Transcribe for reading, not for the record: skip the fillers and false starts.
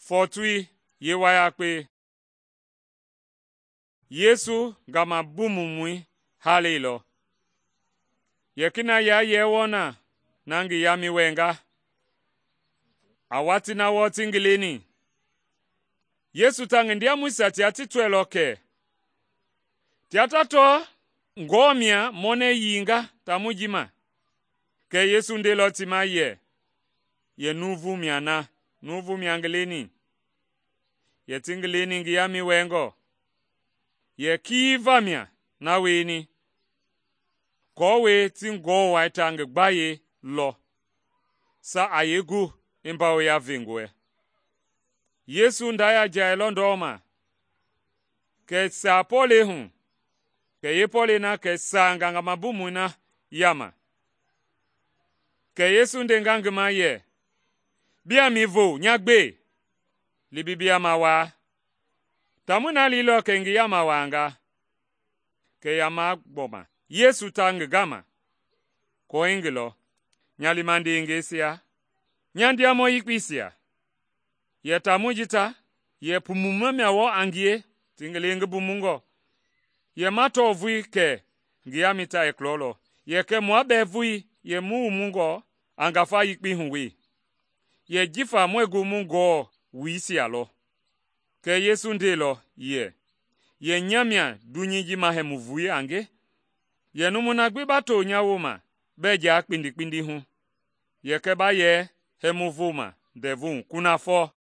Fɔɔtoi yeewayakpe. Yesu ngamabumumɔi haleilɔ. Yekina yayɛɛ wɔɔ na ngi yamɛi wɛnga. A watii na wɔɔ ti ngi leni, Yesu ta ngi ndiamɔisia tia ti tɔɛilɔ kɛ tia ta tɔɔ ngɔɔ mia mɔnɛ yiinga taamɔi ji ma. Kɛ Yesu ndeilɔ ti ma yɛ nuuvu mia ngi leni. Yɛ ti ngi leni ngi yamɛi wɛngɔ. Yɛ kii vamia na wieni, aako ti ngɔɔ wai ta ngi gbayei lɔ, sa a yee gu i mbawoya vengɔɛ. Yesu nda yajailɔ ndɔma, kɛ i saa pɔlɛi hu, kɛ yeepɔlɛi na kɛ i saa ngangamabumui na yama. Kɛ Yesu ndenga ngi ma yɛ, “Biaa mi vo nya gbe, li bi biyama waa.” Taamɔi na liilɔ kɛ i ngi yama waanga. Kɛ yama gbɔma Yesu ta ngi gama, kɔɔ i ngi lɔ, “Nya liima ndeengɛisia, nya ndiamɔ yekpeisia, yɛ taamɔi ji ta yɛ pumumɔ mia wɔɔ a ngie ti ngi le ngi bumungɔ. Yɛ ma tɔɔ vulii kɛ ngi yamɛi ta yɛ klɔlɔ. Yɛ kɛ mua bɛɛ vulii yɛ mu wumungɔ a ngafa yekpei hu we. Yɛ jifa muɛɛ gu mu ngɔɔ wuisia lɔ.” Kɛ Yesu ndeilɔ yɛ nya mia dunyei ji mahɛmu vulii a nge. Yɛ numui na gbi ba to nya wooma bɛɛ jaa kpindi hu, yɛ kɛ ba yɛ hɛmu voma ndɛvu hu kunafɔ.